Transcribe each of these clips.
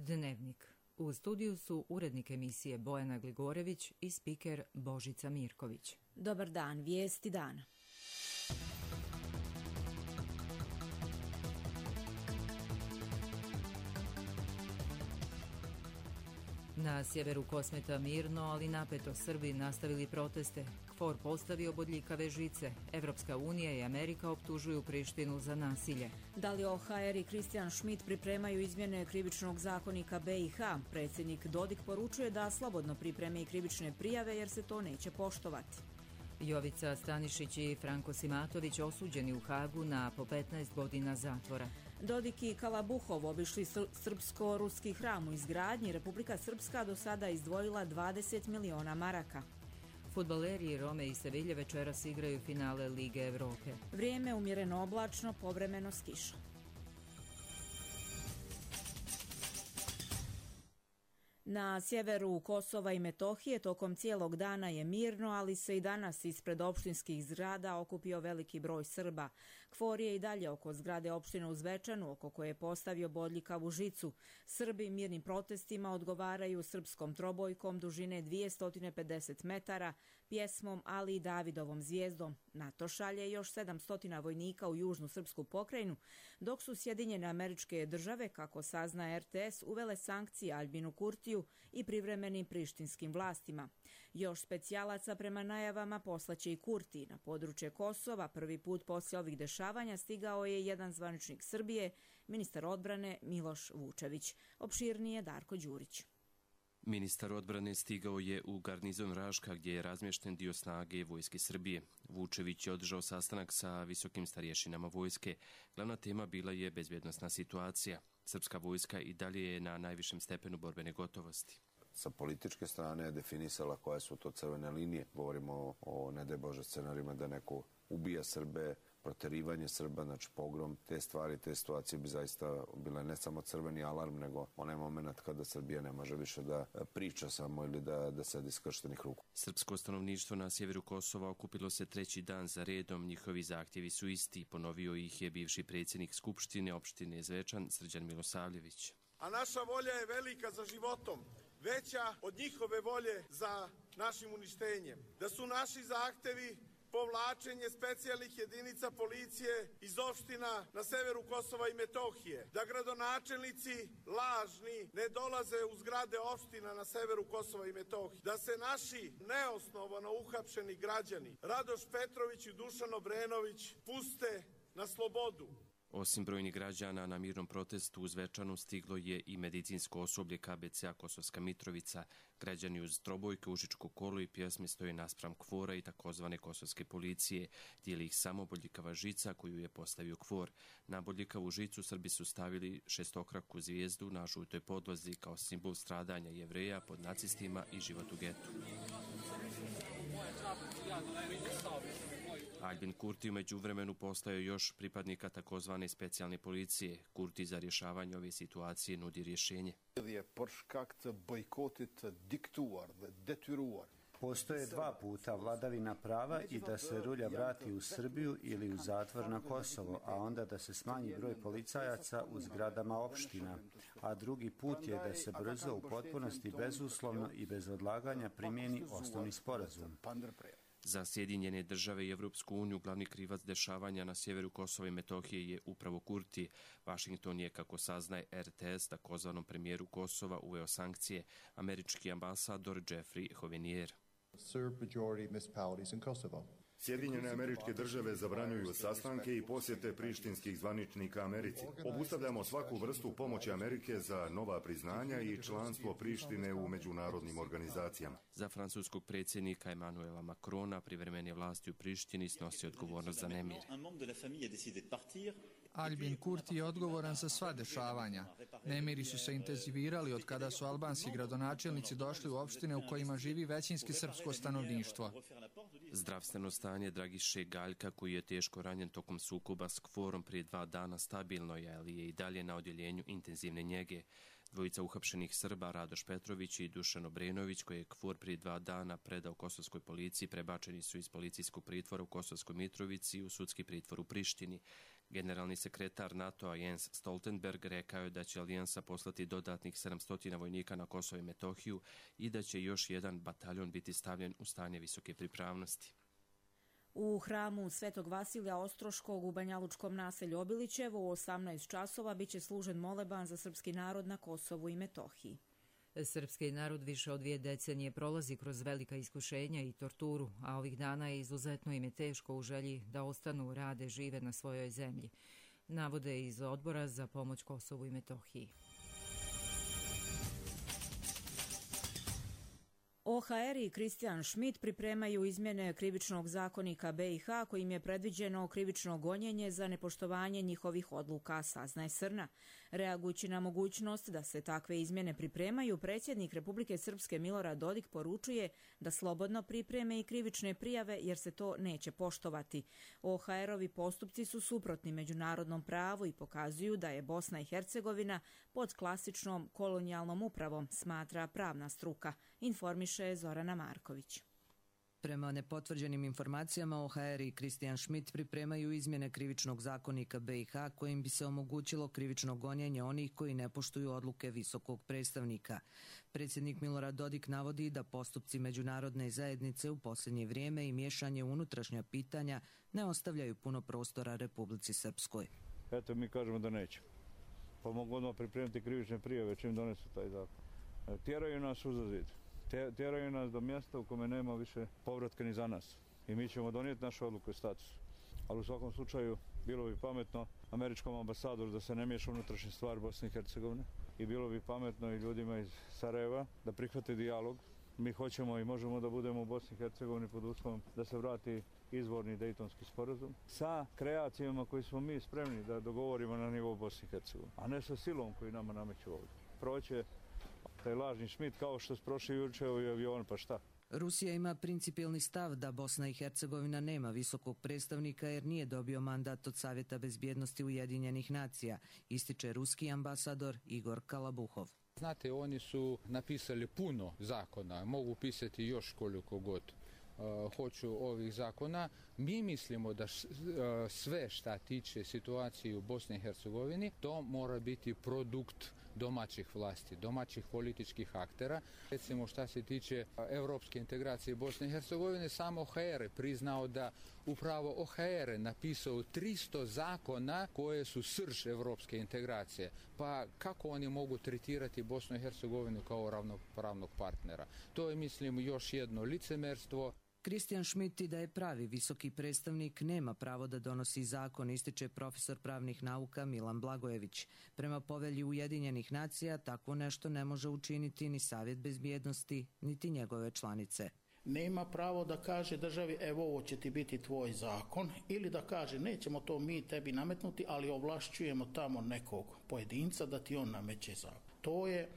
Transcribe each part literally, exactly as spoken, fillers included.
Dnevnik. U studiju su urednik emisije Bojana Gligorević i spiker Božica Mirković. Dobar dan, vijesti dana. Na sjeveru Kosmeta mirno, ali napeto Srbi nastavili proteste. KFOR postavio bodljikave žice. Evropska unija i Amerika optužuju Prištinu za nasilje. Dalio O H R i Kristijan Schmidt pripremaju izmjene krivičnog zakonika B i H. Predsjednik Dodik poručuje da slobodno pripreme i krivične prijave jer se to neće poštovati. Jovica Stanišić i Franko Simatović osuđeni u Hagu na po petnaest godina zatvora. Dodik i Kalabuhov obišli sr- srpsko-ruski hram u izgradnji. Republika Srpska do sada izdvojila dvadeset miliona maraka. Fudbaleri Rome i Sevilje večeras igraju finale Lige Evrope. Vrijeme umjereno oblačno, povremeno s kišom. Na sjeveru Kosova i Metohije tokom cijelog dana je mirno, ali se i danas ispred opštinskih zgrada okupio veliki broj Srba. KFOR je i dalje oko zgrade opštine u Zvečanu, oko koje je postavio bodljikavu žicu. Srbi mirnim protestima odgovaraju srpskom trobojkom dužine dvjesto pedeset metara, pjesmom, ali i Davidovom zvijezdom. NATO šalje još sedamsto vojnika u južnu srpsku pokrajinu, dok su Sjedinjene Američke Države, kako sazna R T S, uvele sankcije Aljbinu Kurtiju i privremenim prištinskim vlastima. Još specijalaca prema najavama poslaće i Kurti. Na područje Kosova prvi put poslije ovih dešavanja stigao je jedan zvaničnik Srbije, ministar odbrane Miloš Vučević. Opširnije Darko Đurić. Ministar odbrane stigao je u garnizon Raška gdje je razmješten dio snage vojske Srbije. Vučević je održao sastanak sa visokim starješinama vojske. Glavna tema bila je bezbjednosna situacija. Srpska vojska i dalje je na najvišem stepenu borbene gotovosti. Sa političke strane je definisala koje su to crvene linije. Govorimo o, o ne daj Bože scenarijima da neko ubija Srbe, proterivanje Srba, znači pogrom, te stvari, te situacije bi zaista bile ne samo crveni alarm, nego onaj moment kada Srbija ne može više da priča samo ili da, da sedi skrštenih ruku. Srpsko stanovništvo na sjeveru Kosova okupilo se treći dan za redom. Njihovi zahtjevi su isti. Ponovio ih je bivši predsjednik Skupštine opštine Zvečan Srđan Milosavljević. A naša volja je velika za životom, veća od njihove volje za našim uništenjem. Da su naši zahtjevi povlačenje specijalnih jedinica policije iz opština na severu Kosova i Metohije, da gradonačelnici lažni ne dolaze u zgrade opština na severu Kosova i Metohije, da se naši neosnovano uhapšeni građani Radoš Petrović i Dušan Obrenović puste na slobodu. Osim brojnih građana na mirnom protestu u Zvečanu stiglo je i medicinsko osoblje K B C-a Kosovska Mitrovica. Građani uz trobojke, užičko kolo i pjesme stoje naspram KFOR-a i takozvane kosovske policije. Dijeli ih samo bodljikava žica koju je postavio KFOR. Na bodljikavu žicu Srbi su stavili šestokraku zvijezdu na žutoj podlozi kao simbol stradanja Jevreja pod nacistima i život u getu. Aljbin Kurti u međuvremenu postao još pripadnika takozvane specijalne policije. Kurti za rješavanje ove situacije nudi rješenje. Postoje dva puta vladavina prava i da se rulja vrati u Srbiju ili u zatvor na Kosovo, a onda da se smanji broj policajaca u zgradama opština. A drugi put je da se brzo, u potpunosti, bezuslovno i bez odlaganja primijeni osnovni sporazum. Za Sjedinjene Države i Evropsku uniju glavni krivac dešavanja na sjeveru Kosova i Metohije je upravo Kurti. Washington je, kako saznaje R T S, takozvanom premijeru Kosova uveo sankcije. Američki ambasador Jeffrey Hovenier. Sjedinjene Američke Države zabranjuju sastanke i posjete prištinskih zvaničnika Americi. Obustavljamo svaku vrstu pomoći Amerike za nova priznanja i članstvo Prištine u međunarodnim organizacijama. Za francuskog predsjednika Emmanuela Macrona privremene vlasti u Prištini snosi odgovornost za nemir. Aljbin Kurti je odgovoran za sva dešavanja. Nemiri su se intenzivirali od kada su albanski gradonačelnici došli u opštine u kojima živi većinski srpsko stanovništvo. Zdravstveno stanje Dragiše Galjka, koji je teško ranjen tokom sukoba s KFOR-om prije dva dana, stabilno je, ali je i dalje na odjeljenju intenzivne njege. Dvojica uhapšenih Srba, Radoš Petrović i Dušan Obrenović, koje je KFOR prije dva dana predao kosovskoj policiji, prebačeni su iz policijskog pritvora u Kosovskoj Mitrovici u sudski pritvor u Prištini. Generalni sekretar NATO-a Jens Stoltenberg rekao je da će alijansa poslati dodatnih sedamsto vojnika na Kosovo i Metohiju i da će još jedan bataljon biti stavljen u stanje visoke pripravnosti. U hramu Svetog Vasilija Ostroškog u banjalučkom naselju Obilićevo u osamnaest časova biće služen moleban za srpski narod na Kosovu i Metohiji. Srpski narod više od dvije decenije prolazi kroz velika iskušenja i torturu, a ovih dana je izuzetno im je teško u želji da ostanu, rade, žive na svojoj zemlji, navode iz Odbora za pomoć Kosovu i Metohiji. O H R i Kristijan Schmidt pripremaju izmjene krivičnog zakonika B i H kojim je predviđeno krivično gonjenje za nepoštovanje njihovih odluka, saznaje Srna. Reagujući na mogućnost da se takve izmjene pripremaju, predsjednik Republike Srpske Milorad Dodik poručuje da slobodno pripreme i krivične prijave jer se to neće poštovati. O H R-ovi postupci su suprotni međunarodnom pravu i pokazuju da je Bosna i Hercegovina pod klasičnom kolonijalnom upravom, smatra pravna struka, informiše Zorana Marković. Prema nepotvrđenim informacijama, O H R i Kristijan Schmidt pripremaju izmjene krivičnog zakonika B i H kojim bi se omogućilo krivično gonjenje onih koji ne poštuju odluke visokog predstavnika. Predsjednik Milorad Dodik navodi da postupci međunarodne zajednice u posljednje vrijeme i miješanje u unutrašnja pitanja ne ostavljaju puno prostora Republici Srpskoj. Eto, mi kažemo da neće. Pa mogu odmah pripremiti krivične prijave čim donesu taj zakon. Tjeraju nas uza zid. Tjeraju nas do mjesta u kome nema više povratka ni za nas. I mi ćemo donijeti našu odluku i status. Ali u svakom slučaju bilo bi pametno američkom ambasadoru da se ne miješa unutrašnje stvari Bosne i Hercegovine. I bilo bi pametno i ljudima iz Sarajeva da prihvate dijalog. Mi hoćemo i možemo da budemo u Bosni i Hercegovini pod uslovom da se vrati izvorni Dejtonski sporazum sa kreacijama koji smo mi spremni da dogovorimo na nivou Bosne i Hercegovine, a ne sa silom koji nama nameću ovdje. Proće taj lažni Schmidt kao što su prošli juče ovi avion, pa šta? Rusija ima principijelni stav da Bosna i Hercegovina nema visokog predstavnika jer nije dobio mandat od Savjeta bezbjednosti Ujedinjenih nacija, ističe ruski ambasador Igor Kalabuhov. Znate, oni su napisali puno zakona, mogu pisati još koliko god uh, hoću ovih zakona. Mi mislimo da š, uh, sve šta tiče situacije u Bosni i Hercegovini, to mora biti produkt domaćih vlasti, domaćih političkih aktera. Recimo šta se tiče evropske integracije Bosne i Hercegovine, samo O H R je priznao da upravo O H R je napisao tristo zakona koje su srž evropske integracije. Pa kako oni mogu tretirati Bosnu i Hercegovinu kao ravnopravnog partnera? To je, mislim, još jedno licemerstvo. Kristijan Schmidt i da je pravi visoki predstavnik nema pravo da donosi zakon, ističe profesor pravnih nauka Milan Blagojević. Prema povelji Ujedinjenih nacija takvo nešto ne može učiniti ni Savjet bezbjednosti, niti njegove članice. Nema pravo da kaže državi evo ovo će ti biti tvoj zakon ili da kaže nećemo to mi tebi nametnuti, ali ovlašćujemo tamo nekog pojedinca da ti on nameće zakon. To je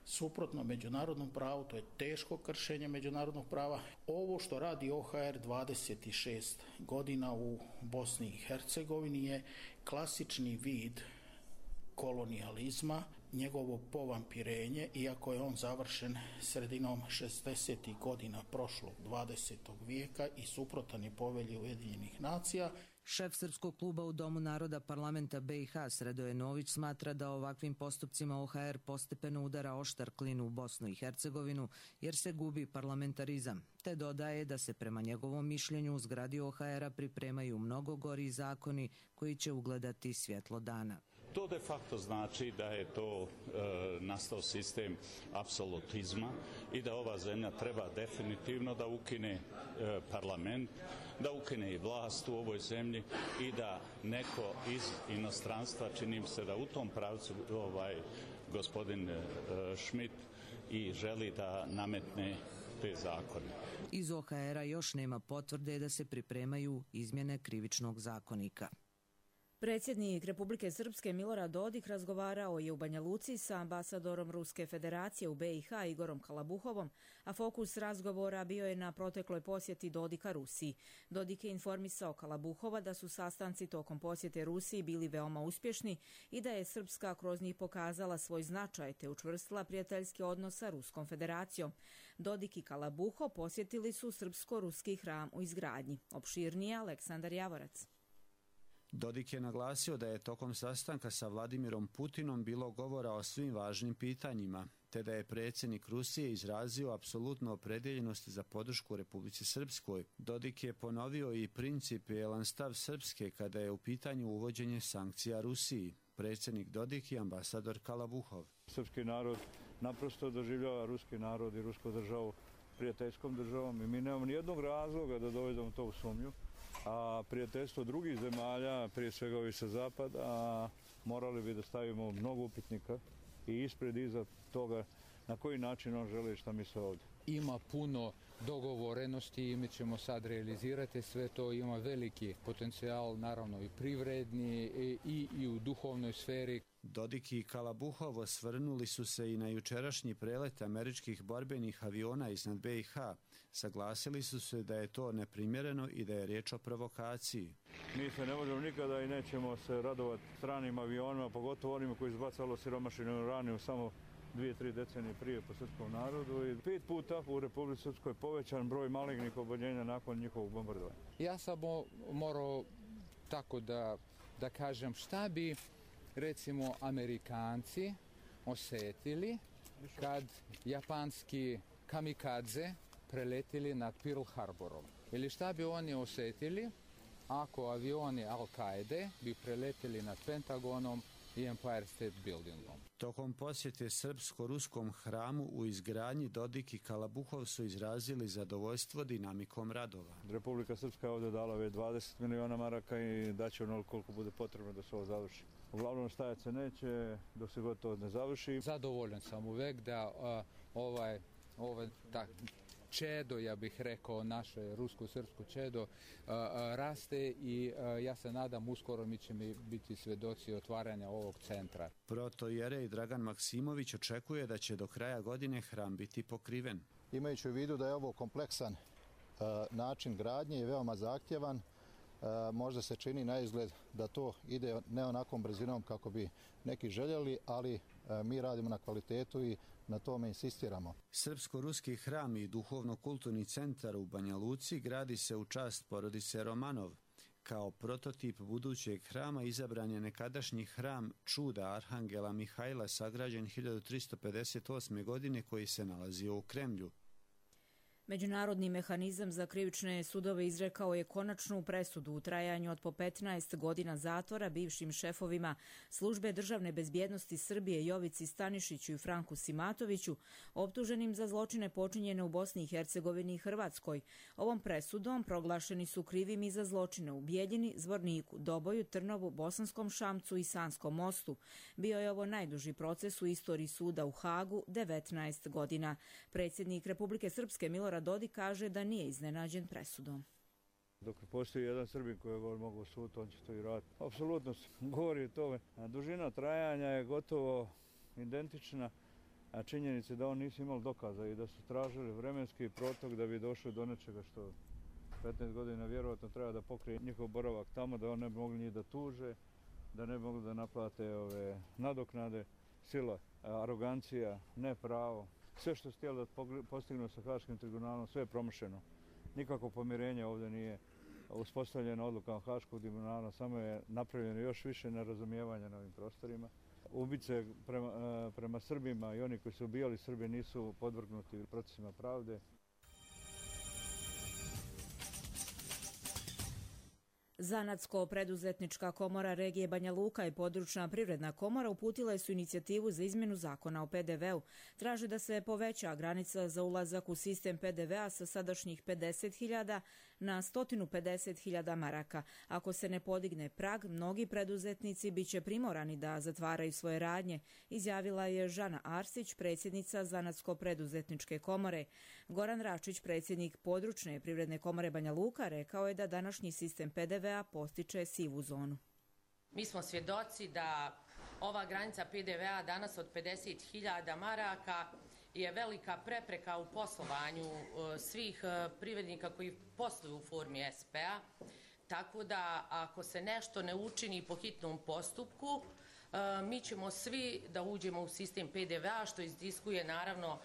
suprotno međunarodnom pravu, to je teško kršenje međunarodnog prava. Ovo što radi O H R dvadeset šest godina u Bosni i Hercegovini je klasični vid kolonijalizma, njegovo povampirenje, iako je on završen sredinom šezdesetih godina prošlog dvadesetog vijeka i suprotan je povelji Ujedinjenih nacija. Šef Srpskog kluba u Domu naroda parlamenta B i H Sredoje Nović smatra da ovakvim postupcima O H R postepeno udara oštar klin u Bosnu i Hercegovinu jer se gubi parlamentarizam, te dodaje da se prema njegovom mišljenju u zgradi O H R-a pripremaju mnogo gori zakoni koji će ugledati svjetlo dana. To de facto znači da je to e, nastao sistem apsolutizma i da ova zemlja treba definitivno da ukine e, parlament, da ukine i vlast u ovoj zemlji i da neko iz inostranstva, čini mi se da u tom pravcu ovaj gospodin e, Schmidt i želi da nametne te zakone. Iz O H R-a još nema potvrde da se pripremaju izmjene krivičnog zakonika. Predsjednik Republike Srpske Milorad Dodik razgovarao je u Banja Luci sa ambasadorom Ruske federacije u B i H Igorom Kalabuhovom, a fokus razgovora bio je na protekloj posjeti Dodika Rusiji. Dodik je informisao Kalabuhova da su sastanci tokom posjete Rusiji bili veoma uspješni i da je Srpska kroz njih pokazala svoj značaj te učvrstila prijateljski odnos sa Ruskom federacijom. Dodik i Kalabuhov posjetili su srpsko-ruski hram u izgradnji. Opširnije Aleksandar Javorac. Dodik je naglasio da je tokom sastanka sa Vladimirom Putinom bilo govora o svim važnim pitanjima, te da je predsjednik Rusije izrazio apsolutnu opredjeljenost za podršku Republici Srpskoj. Dodik je ponovio i principijelan stav Srpske kada je u pitanju uvođenje sankcija Rusiji. Predsjednik Dodik i ambasador Kalabuhov. Srpski narod naprosto doživljava ruski narod i rusku državu prijateljskom državom i mi nemamo nijednog razloga da dovedemo to u sumnju. A prijateljstvo drugih zemalja, prije svega ovi sa zapada, morali bi da stavimo mnogo upitnika i ispred iza toga na koji način on želi šta misle ovdje. Ima puno dogovorenosti i mi ćemo sad realizirati sve to, ima veliki potencijal, naravno i privredni i, i, i u duhovnoj sferi. Dodik i Kalabuhov osvrnuli su se i na jučerašnji prelet američkih borbenih aviona iznad be i ha. Saglasili su se da je to neprimjereno i da je riječ o provokaciji. Mi se ne možemo nikada i nećemo se radovati stranim avionima, pogotovo onima koji izbacalo siromašinu uraniju samo dvije, tri decenije prije po srpskom narodu i pet puta u Republici Srpskoj povećan broj malignih oboljenja nakon njihovog bombardovanja. Ja sam morao tako da, da kažem šta bi recimo Amerikanci osjetili kad japanski kamikadze preletili nad Pearl Harborom. Ili šta bi oni osjetili ako avioni Al-Kaide bi preletili nad Pentagonom i Empire State Buildingom. Tokom posjete srpsko-ruskom hramu u izgradnji Dodik i Kalabuhov su izrazili zadovoljstvo dinamikom radova. Republika Srpska je ovdje dala već dvadeset miliona maraka i daće onoliko koliko bude potrebno da se ovo završi. Uglavnom stajat se neće dok se gotovo ne završi. Zadovoljan sam uvek da uh, ovaj, ovaj tak, čedo, ja bih rekao, naše rusko-srpsko čedo uh, uh, raste i uh, ja se nadam uskoro mi ćemo biti svedoci otvaranja ovog centra. Protojerej Dragan Maksimović očekuje da će do kraja godine hram biti pokriven. Imajući u vidu da je ovo kompleksan uh, način gradnje i veoma zahtjevan, uh, možda se čini na izgled da to ide ne onakom brzinom kako bi neki željeli, ali uh, mi radimo na kvalitetu i na tome insistiramo. Srpsko-ruski hram i duhovno-kulturni centar u Banja Luci gradi se u čast porodice Romanov. Kao prototip budućeg hrama izabran je nekadašnji hram Čuda Arhangela Mihajla sagrađen hiljadu tristo pedeset osme. godine koji se nalazio u Kremlju. Međunarodni mehanizam za krivične sudove izrekao je konačnu presudu u trajanju od po petnaest godina zatvora bivšim šefovima Službe državne bezbjednosti Srbije Jovici Stanišiću i Franku Simatoviću, optuženim za zločine počinjene u Bosni i Hercegovini i Hrvatskoj. Ovom presudom proglašeni su krivim i za zločine u Bijeljini, Zvorniku, Doboju, Trnovu, Bosanskom Šamcu i Sanskom mostu. Bio je ovo najduži proces u istoriji suda u Hagu, devetnaest godina. Predsjednik Republike Srpske Milorad Dodik kaže da nije iznenađen presudom. Dok postoji jedan Srbin koji je mogao suditi, on će to i raditi. Apsolutno se govori o tome. Dužina trajanja je gotovo identična, a činjenice da on nisu imali dokaza i da su tražili vremenski protok da bi došli do nečega što petnaest godina vjerovatno treba da pokrije njihov boravak tamo, da on ne bi mogli njih da tuže, da ne bi mogli da naplate ove nadoknade, sila, arogancija, nepravo. Sve što su htjeli da postignu sa Haškim tribunalom, sve je promašeno. Nikako pomirenje ovdje nije uspostavljeno odlukama Haškog tribunala, samo je napravljeno još više nerazumijevanja na ovim prostorima. Ubice prema, prema Srbima i oni koji su ubijali Srbe nisu podvrgnuti procesima pravde. Zanatsko-preduzetnička komora regije Banja Luka i područna privredna komora uputile su inicijativu za izmjenu zakona o pe de veu. Traže da se poveća granica za ulazak u sistem pe de vea sa sadašnjih pedeset hiljada na sto pedeset hiljada maraka. Ako se ne podigne prag, mnogi preduzetnici biće primorani da zatvaraju svoje radnje, izjavila je Žana Arsić, predsjednica Zanatsko-preduzetničke komore. Goran Račić, predsjednik područne privredne komore Banja Luka, rekao je da današnji sistem pe de vea postiče sivu zonu. Mi smo svjedoci da ova granica pe de vea danas od pedeset hiljada maraka je velika prepreka u poslovanju svih privrednika koji posluju u formi es pe a. Tako da ako se nešto ne učini po hitnom postupku, mi ćemo svi da uđemo u sistem pe de vea, što izdiskuje naravno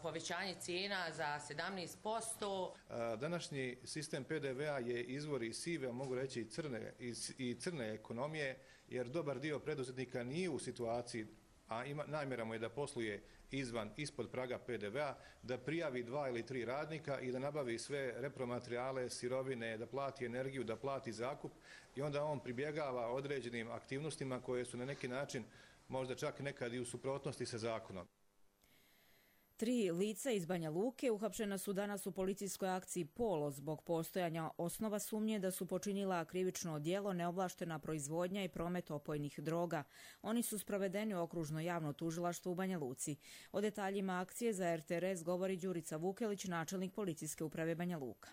povećanje cijena za sedamnaest posto. Današnji sistem P D V-a je izvor i sive, mogu reći i crne, i crne ekonomije, jer dobar dio preduzetnika nije u situaciji, a ima, namjera mu je da posluje izvan, ispod praga P D V-a, da prijavi dva ili tri radnika i da nabavi sve repromaterijale, sirovine, da plati energiju, da plati zakup i onda on pribjegava određenim aktivnostima koje su na neki način možda čak nekad i u suprotnosti sa zakonom. Tri lica iz Banja Luke uhapšena su danas u policijskoj akciji Polo zbog postojanja osnova sumnje da su počinila krivično djelo neovlaštena proizvodnja i promet opojnih droga. Oni su sprovedeni u okružno javno tužilaštvo u Banja Luci. O detaljima akcije za R T R S govori Đurica Vukelić, načelnik policijske uprave Banja Luka.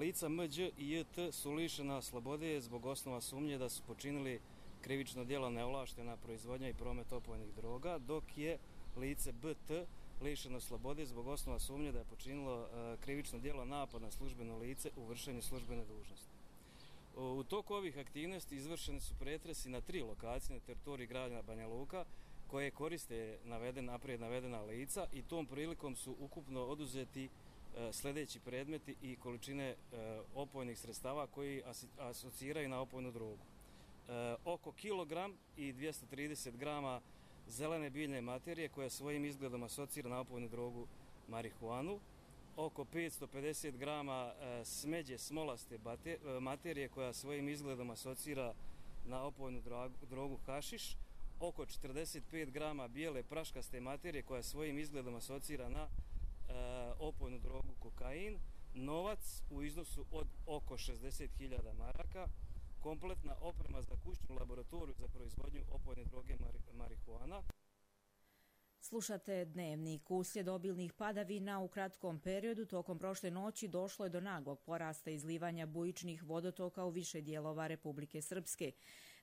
Lica M Đ i J T su lišena slobode zbog osnova sumnje da su počinili krivično djelo neovlaštena proizvodnja i promet opojnih droga, dok je lice B T lišeno slobode zbog osnova sumnje da je počinilo krivično djelo napad na službeno lice u vršenju službene dužnosti. U toku ovih aktivnosti izvršeni su pretresi na tri lokacije na teritoriji grada Banja Luka koje koriste naveden, naprijed navedena lica i tom prilikom su ukupno oduzeti sljedeći predmeti i količine opojnih sredstava koji asociraju na opojnu drogu. Oko kilogram i dvjesto trideset grama zelene biljne materije koja svojim izgledom asocira na opojnu drogu marihuanu, oko petsto pedeset grama smeđe smolaste materije koja svojim izgledom asocira na opojnu drogu hašiš, oko četrdeset pet grama bijele praškaste materije koja svojim izgledom asocira na opojnu drogu kokain, novac u iznosu od oko šezdeset hiljada maraka, kompletna oprema za kućnu laboratoriju za proizvodnju opojne droge marihuana. Slušate Dnevnik. Uslijed obilnih padavina u kratkom periodu tokom prošle noći došlo je do naglog porasta izlivanja bujičnih vodotoka u više dijelova Republike Srpske.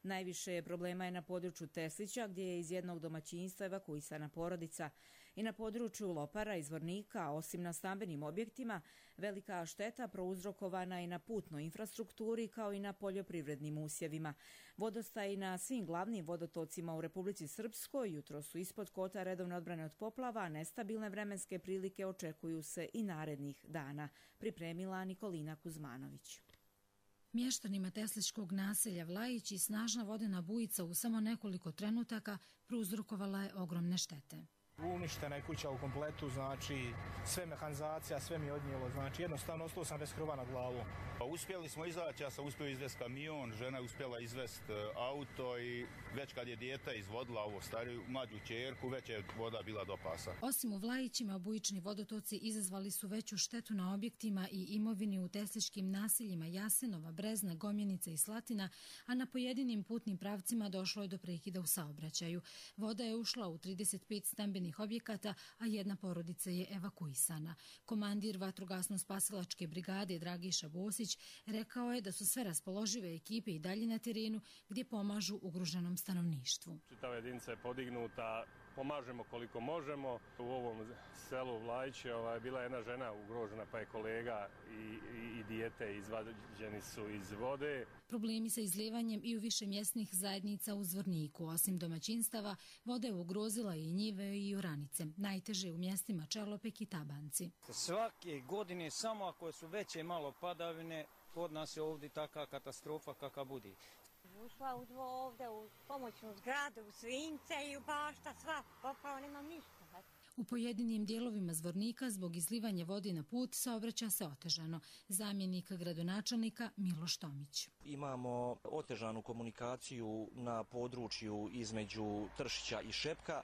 Najviše problema je na području Teslića, gdje je iz jednog domaćinstva evakuisana porodica. I na području Lopara i Zvornika, osim na stambenim objektima, velika šteta prouzrokovana i na putnoj infrastrukturi kao i na poljoprivrednim usjevima. Vodostaji na svim glavnim vodotocima u Republici Srpskoj jutro su ispod kota redovne odbrane od poplava, a nestabilne vremenske prilike očekuju se i narednih dana, pripremila Nikolina Kuzmanović. Mještanima tesličkog naselja Vlajić i snažna vodena bujica u samo nekoliko trenutaka prouzrokovala je ogromne štete. Uništena je kuća u kompletu, znači sve mehanizacija, sve mi je odnijelo, znači jednostavno ostao sam bez krova nad glavom. Pa uspjeli smo izaći, ja sam uspio izvesti kamion, žena je uspjela izvesti auto i već kad je dijete izvodila ovo stariju mlađu ćerku, već je voda bila do pasa. Osim u Vlajićima, bujični vodotoci izazvali su veću štetu na objektima i imovini u tesličkim naseljima Jasenova, Brezna, Gomjenica i Slatina, a na pojedinim putnim pravcima došlo je do prekida u saobraćaju. Voda je ušla u trideset pet stambenih objekata, a jedna porodica je evakuisana. Komandir vatrogasno-spasilačke brigade Dragiša Bosić rekao je da su sve raspoložive ekipe i dalje na terenu gdje pomažu ugroženom stanovništvu. Čitava jedinica je podignuta, pomažemo koliko možemo. U ovom selu Vlajiće ovaj, bila je jedna žena ugrožena, pa je kolega i, i, i dijete izvađeni su iz vode. Problemi sa izlijevanjem i u više mjesnih zajednica u Zvorniku. Osim domaćinstava, voda je ugrozila i njive i oranice. Najteže u mjestima Čelopek i Tabanci. Svake godine, samo ako su veće malo padavine, kod nas je ovdje taka katastrofa kakva budi. Ušla u dvo ovdje u pomoćnu zgradu, u Svince i u bašta, sva, popao nemam ništa. U pojedinim dijelovima Zvornika zbog izlivanja vode na put saobraća se otežano. Zamjenik gradonačelnika Miloš Tomić. Imamo otežanu komunikaciju na području između Tršića i Šepka,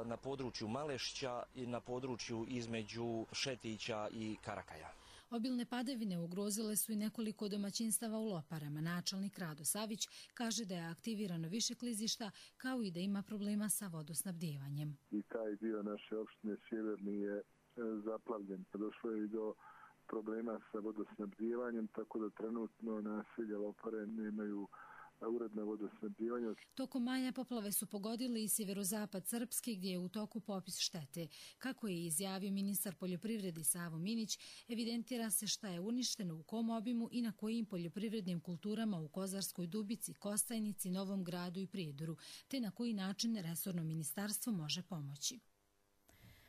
na području Malešića i na području između Šetića i Karakaja. Obilne padavine ugrozile su i nekoliko domaćinstava u Loparama. Načelnik Rado Savić kaže da je aktivirano više klizišta, kao i da ima problema sa vodosnabdijevanjem. I taj dio naše opštine Sjeverni je zaplavljen. Došlo je i do problema sa vodosnabdijevanjem, tako da trenutno naselja Lopare nemaju uredno vodosnabdijevanje. Tokom maja poplave su pogodili i sjeverozapad Srpske, gdje je u toku popis štete. Kako je izjavio ministar poljoprivrede Savo Minić, evidentira se šta je uništeno, u kom obimu i na kojim poljoprivrednim kulturama u Kozarskoj Dubici, Kostajnici, Novom Gradu i Prijedoru, te na koji način resorno ministarstvo može pomoći.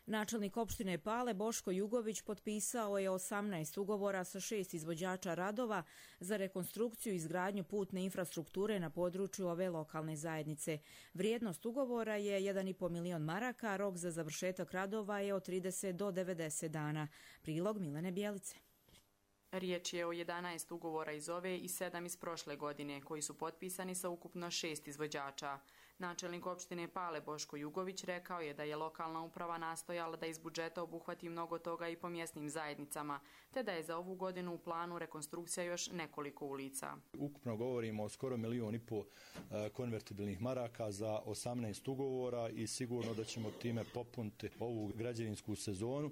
Načelnik opštine Pale Boško Jugović potpisao je osamnaest ugovora sa šest izvođača radova za rekonstrukciju i izgradnju putne infrastrukture na području ove lokalne zajednice. Vrijednost ugovora je jedan i po milion maraka, a rok za završetak radova je od trideset do devedeset dana. Prilog Milene Bjelice. Riječ je o jedanaest ugovora iz ove i sedam iz prošle godine, koji su potpisani sa ukupno šest izvođača. Načelnik opštine Pale Boško Jugović rekao je da je lokalna uprava nastojala da iz budžeta obuhvati mnogo toga i po mjesnim zajednicama, te da je za ovu godinu u planu rekonstrukcija još nekoliko ulica. Ukupno govorimo o skoro milion i po konvertibilnih maraka za osamnaest ugovora i sigurno da ćemo time popuniti ovu građevinsku sezonu.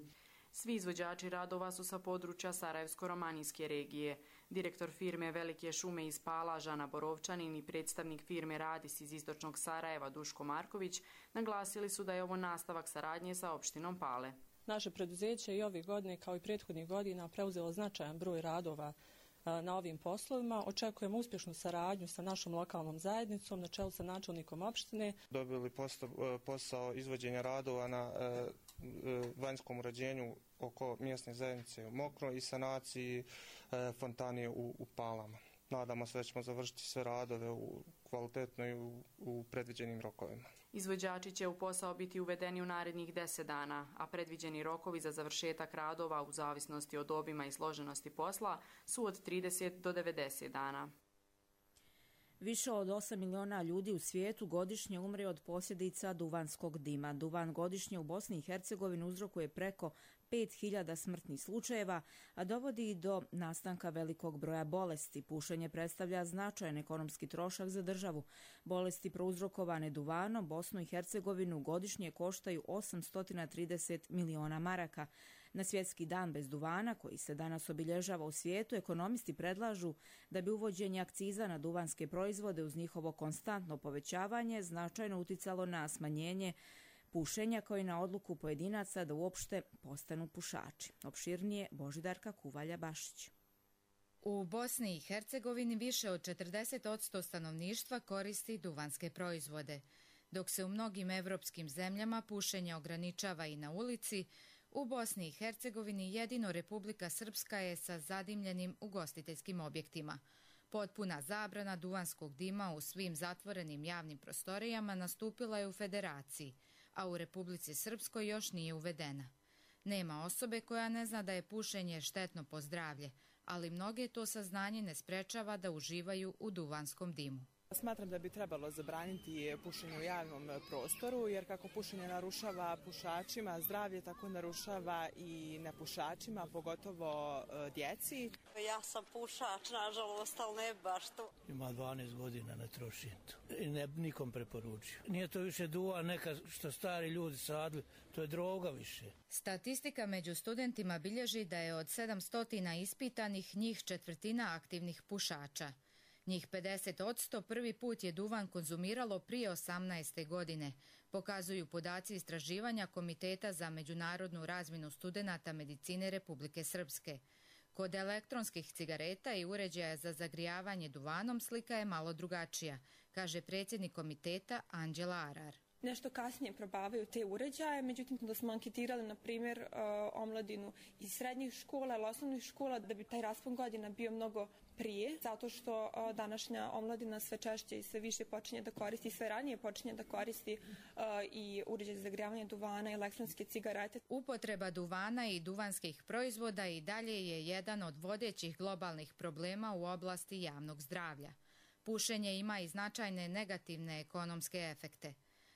Svi izvođači radova su sa područja Sarajevsko-romanijske regije. Direktor firme Velike šume iz Pala Žana Borovčanin i predstavnik firme Radis iz istočnog Sarajeva Duško Marković naglasili su da je ovo nastavak saradnje sa opštinom Pale. Naše preduzeće i ove godine kao i prethodnih godina preuzelo značajan broj radova na ovim poslovima. Očekujemo uspješnu saradnju sa našom lokalnom zajednicom na čelu sa načelnikom opštine. Dobili posao izvođenja radova na vanjskom uređenju oko mjesne zajednice u Mokro i sanaciji fontane u, u Palama. Nadamo se da ćemo završiti sve radove u kvalitetno i u, u predviđenim rokovima. Izvođači će u posao biti uvedeni u narednih deset dana, a predviđeni rokovi za završetak radova u zavisnosti od obima i složenosti posla su od trideset do devedeset dana. Više od osam miliona ljudi u svijetu godišnje umre od posljedica duvanskog dima. Duvan godišnje u Bosni i Hercegovini uzrokuje preko pet hiljada smrtnih slučajeva, a dovodi i do nastanka velikog broja bolesti. Pušenje predstavlja značajan ekonomski trošak za državu. Bolesti prouzrokovane duvanom Bosnu i Hercegovinu godišnje koštaju osamsto trideset miliona maraka. Na svjetski dan bez duvana, koji se danas obilježava u svijetu, ekonomisti predlažu da bi uvođenje akciza na duvanske proizvode uz njihovo konstantno povećavanje značajno uticalo na smanjenje pušenja, kao i na odluku pojedinaca da uopšte postanu pušači. Opširnije Božidarka Kuvalja-Bašić. U Bosni i Hercegovini više od četrdeset posto stanovništva koristi duvanske proizvode. Dok se u mnogim evropskim zemljama pušenje ograničava i na ulici, u Bosni i Hercegovini jedino Republika Srpska je sa zadimljenim ugostiteljskim objektima. Potpuna zabrana duvanskog dima u svim zatvorenim javnim prostorijama nastupila je u Federaciji, a u Republici Srpskoj još nije uvedena. Nema osobe koja ne zna da je pušenje štetno po zdravlje, ali mnoge to saznanje ne sprečava da uživaju u duvanskom dimu. Smatram da bi trebalo zabraniti pušenje u javnom prostoru, jer kako pušenje narušava pušačima zdravlje, tako narušava i nepušačima, pogotovo djeci. Ja sam pušač, nažalost, ali ne baš to. Ima dvanaest godina, ne trošim to. I ne nikom preporučio. Nije to više duvan neka što stari ljudi sadili, to je droga više. Statistika među studentima bilježi da je od sedamsto ispitanih njih četvrtina aktivnih pušača. Njih pedeset posto prvi put je duvan konzumiralo prije osamnaeste godine, pokazuju podaci istraživanja Komiteta za međunarodnu razmjenu studenata medicine Republike Srpske. Kod elektronskih cigareta i uređaja za zagrijavanje duvanom slika je malo drugačija, kaže predsjednik komiteta Anđela Arar. Nešto kasnije probavaju te uređaje, međutim da smo anketirali, na primjer, omladinu iz srednjih škola ili osnovnih škola, da bi taj raspon godina bio mnogo prije, zato što današnja omladina sve češće i sve više počinje da koristi, sve ranije počinje da koristi i uređaj za zagrijavanje duvana i elektronske cigarete. Upotreba duvana i duvanskih proizvoda i dalje je jedan od vodećih globalnih problema u oblasti javnog zdravlja. Pušenje ima i značajne negativne ekonomske efekte.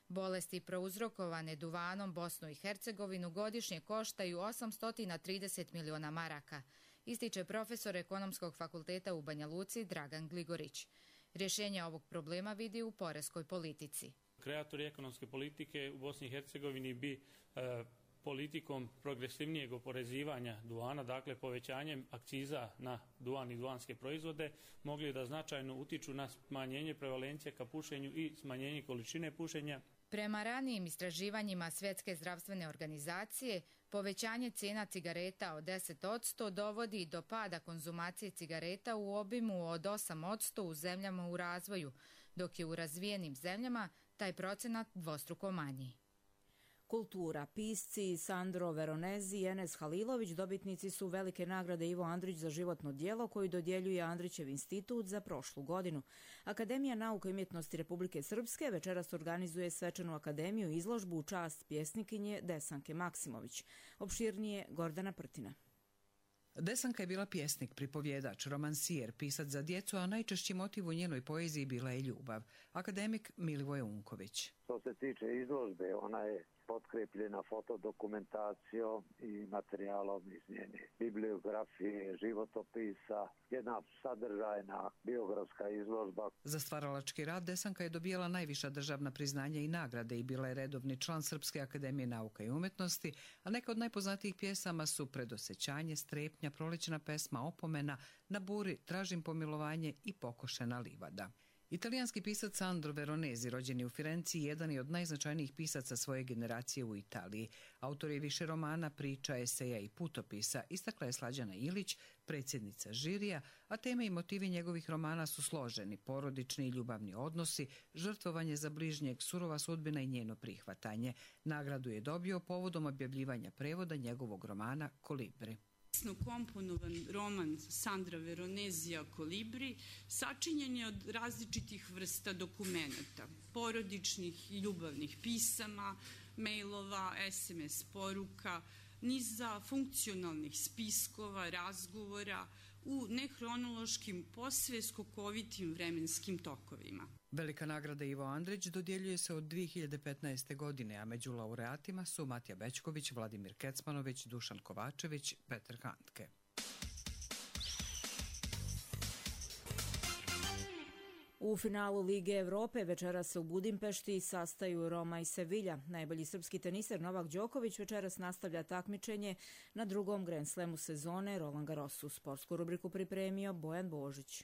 Bolesti prouzrokovane duvanom Bosnu i Hercegovinu godišnje koštaju osamsto trideset miliona maraka, ističe profesor Ekonomskog fakulteta u Banja Luci Dragan Gligorić. Rješenje ovog problema vidi u poreskoj politici. Kreatori ekonomske politike u Bosni i Hercegovini bi e, politikom progresivnijeg oporezivanja duvana, dakle povećanjem akciza na duvan i duvanske proizvode, mogli da značajno utiču na smanjenje prevalencije ka pušenju i smanjenje količine pušenja. Prema ranijim istraživanjima Svjetske zdravstvene organizacije, povećanje cijena cigareta od deset posto dovodi do pada konzumacije cigareta u obimu od osam posto u zemljama u razvoju, dok je u razvijenim zemljama taj procenat dvostruko manji. Kultura. Pisci Sandro Veronezi i Enes Halilović dobitnici su velike nagrade Ivo Andrić za životno djelo koju dodjeljuje Andrićev institut za prošlu godinu. Akademija nauka i umjetnosti Republike Srpske večeras organizuje svečanu akademiju izložbu u čast pjesnikinje Desanke Maksimović. Opširnije Gordana Prtina. Desanka je bila pjesnik, pripovjedač, romansijer, pisac za djecu, a najčešći motiv u njenoj poeziji bila je ljubav. Akademik Milivoje Unković. Što se tiče izložbe, ona je potkrepljena fotodokumentacijom i materijalom iz njene bibliografije, životopisa, jedna sadržajna biografska izložba. Za stvaralački rad Desanka je dobijala najviša državna priznanja i nagrade i bila je redovni član Srpske akademije nauka i umjetnosti, a neka od najpoznatijih pjesama su Predosećanje, Strepnja, Prolećna pesma, Opomena, Na buri, Tražim pomilovanje i Pokošena livada. Italijanski pisac Sandro Veronezi, rođen je u Firenci, jedan je od najznačajnijih pisaca svoje generacije u Italiji. Autor je više romana, priča, eseja i putopisa, istakla je Slađana Ilić, predsjednica žirija, a teme i motivi njegovih romana su složeni, porodični i ljubavni odnosi, žrtvovanje za bližnjeg, surova sudbina i njeno prihvatanje. Nagradu je dobio povodom objavljivanja prevoda njegovog romana Kolibri. Komponovan roman Sandra Veronezija Kolibri sačinjen je od različitih vrsta dokumenata, porodičnih i ljubavnih pisama, mailova, es em es poruka, niza funkcionalnih spiskova, razgovora u nehronološkim, posve skokovitim vremenskim tokovima. Velika nagrada Ivo Andrić dodjeljuje se od dvije hiljade petnaeste. godine, a među laureatima su Matija Bećković, Vladimir Kecmanović, Dušan Kovačević, Petar Handke. U finalu Lige Evrope večeras se u Budimpešti sastaju Roma i Sevilja. Najbolji srpski teniser Novak Đoković večeras nastavlja takmičenje na drugom Grand Slamu sezone Roland Garrosu. Sportsku rubriku pripremio Bojan Božić.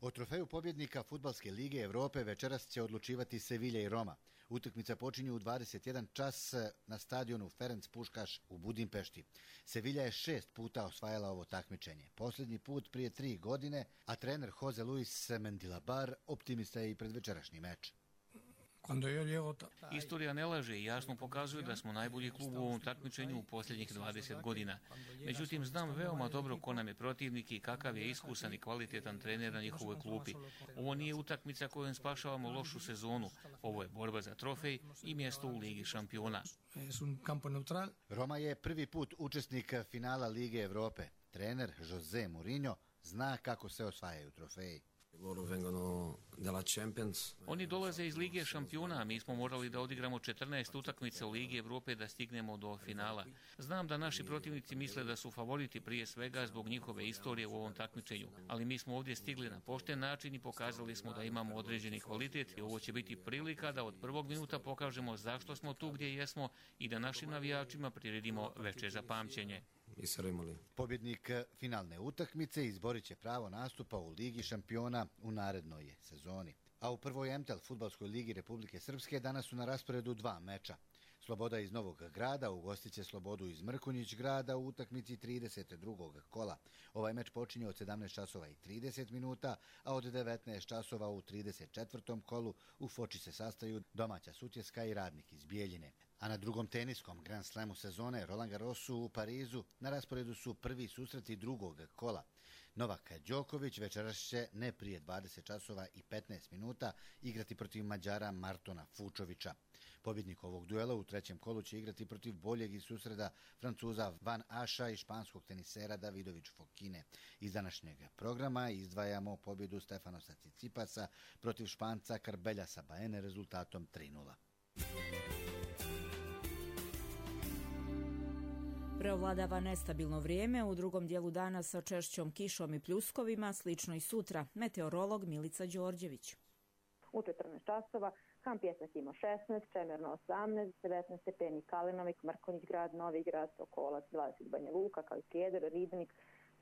O trofeju pobjednika Fudbalske lige Evrope večeras će odlučivati Sevilja i Roma. Utakmica počinju u dvadeset jedan čas na stadionu Ferenc Puškaš u Budimpešti. Sevilja je šest puta osvajala ovo takmičenje. Posljednji put prije tri godine, a trener Jose Luis Mendilabar optimista je i pred večerašnji meč. Istorija ne laže i jasno pokazuje da smo najbolji klub u ovom takmičenju u posljednjih dvadeset godina. Međutim, znam veoma dobro ko nam je protivnik i kakav je iskusan i kvalitetan trener na njihovoj klupi. Ovo nije utakmica kojom spašavamo lošu sezonu. Ovo je borba za trofej i mjesto u Ligi šampiona. Roma je prvi put učesnik finala Lige Evrope. Trener Jose Mourinho zna kako se osvajaju trofeji. Oni dolaze iz Lige šampiona, a mi smo morali da odigramo četrnaest utakmica u Ligi Evrope da stignemo do finala. Znam da naši protivnici misle da su favoriti prije svega zbog njihove istorije u ovom takmičenju, ali mi smo ovdje stigli na pošten način i pokazali smo da imamo određeni kvalitet i ovo će biti prilika da od prvog minuta pokažemo zašto smo tu gdje jesmo i da našim navijačima priredimo veče za pamćenje. Pobjednik finalne utakmice izborit će pravo nastupa u Ligi šampiona u narednoj sezoni. A u prvoj em te el Fudbalskoj ligi Republike Srpske danas su na rasporedu dva meča. Sloboda iz Novog Grada ugostit će Slobodu iz Mrkonjić Grada u utakmici trideset drugog kola. Ovaj meč počinje od sedamnaest časova i trideset minuta, a od devetnaest časova u trideset četvrtom kolu u Foči se sastaju domaća Sutjeska i Radnik iz Bijeljine. A na drugom teniskom Grand Slamu sezone Roland Garrosu u Parizu na rasporedu su prvi susreti drugog kola. Novak Đoković večeras će ne prije dvadeset časova i petnaest minuta igrati protiv Mađara Martona Fučovića. Pobjednik ovog duela u trećem kolu će igrati protiv boljeg iz susreda Francuza Van Aša i španskog tenisera Davidović Fokine. Iz današnjeg programa izdvajamo pobjedu Stefanosa Cicipasa protiv Španca Carbeljasa Baene rezultatom tri nula. Preovladava nestabilno vrijeme u drugom dijelu dana sa češćom kišom i pljuskovima, slično i sutra. Meteorolog Milica Đorđević. U četrnaest časova Kam Pjesak ima šesnaest, Čemerno osamnaest, devetnaest stepeni Kalinovik, Mrkonjić Grad, Novi Grad, Sokolac, dvadeset Banja Luka, kao i Keder, Ribnik,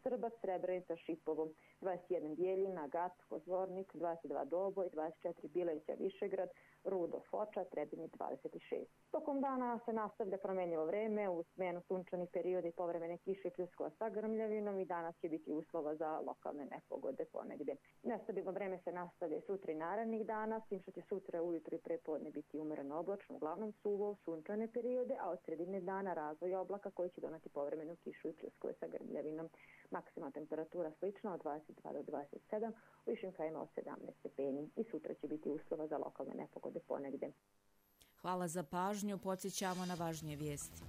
Srba, Srebrenica, Šipovo, dvadeset jedan Bijeljina, Gat, Kozvornik, dvadeset dva Doboj, dvadeset četiri Bileća, Višegrad, Rudo, Foča, Trebinje dvadeset šest. Tokom dana se nastavlja promenljivo vreme, u smenu sunčanih perioda i povremene kiše i pljuskova sa grmljavinom i danas će biti uslova za lokalne nepogode ponegde. Nestabilno vreme se nastavlja sutra i narednih dana, s tim što će sutra ujutro i prepodne biti umereno oblačno, uglavnom suvo, sunčane periode, a od sredine dana razvoj oblaka koji će donati povremenu kišu i pljuskove sa grmljavinom. Maksimalna temperatura slična od dvadeset dva do dvadeset sedam, u višim krajima od sedamnaest stepeni i sutra će biti uslova za lokalne nepogode ponegde. Hvala za pažnju, podsjećamo na važnije vijesti.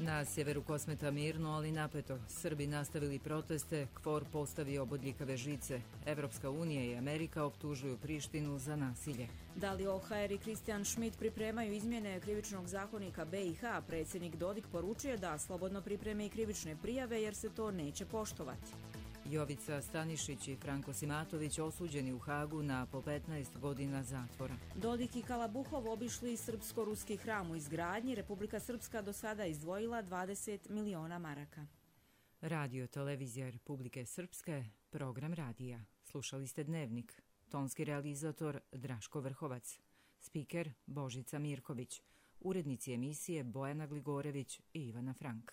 Na sjeveru Kosmeta mirno, ali napeto. Srbi nastavili proteste, KFOR postavio bodljikave žice. Evropska unija i Amerika optužuju Prištinu za nasilje. Dalio Ohajer i Kristijan Schmidt pripremaju izmjene krivičnog zakonika B i H. Predsjednik Dodik poručuje da slobodno pripreme i krivične prijave jer se to neće poštovati. Jovica Stanišić i Franko Simatović osuđeni u Hagu na po petnaest godina zatvora. Dodik i Kalabuhov obišli srpsko-ruski hram u izgradnji. Republika Srpska do sada izdvojila dvadeset miliona maraka. Radio Televizija Republike Srpske, program radija. Slušali ste Dnevnik. Tonski realizator Draško Vrhovac. Spiker Božica Mirković. Urednici emisije Bojana Gligorević i Ivana Frank.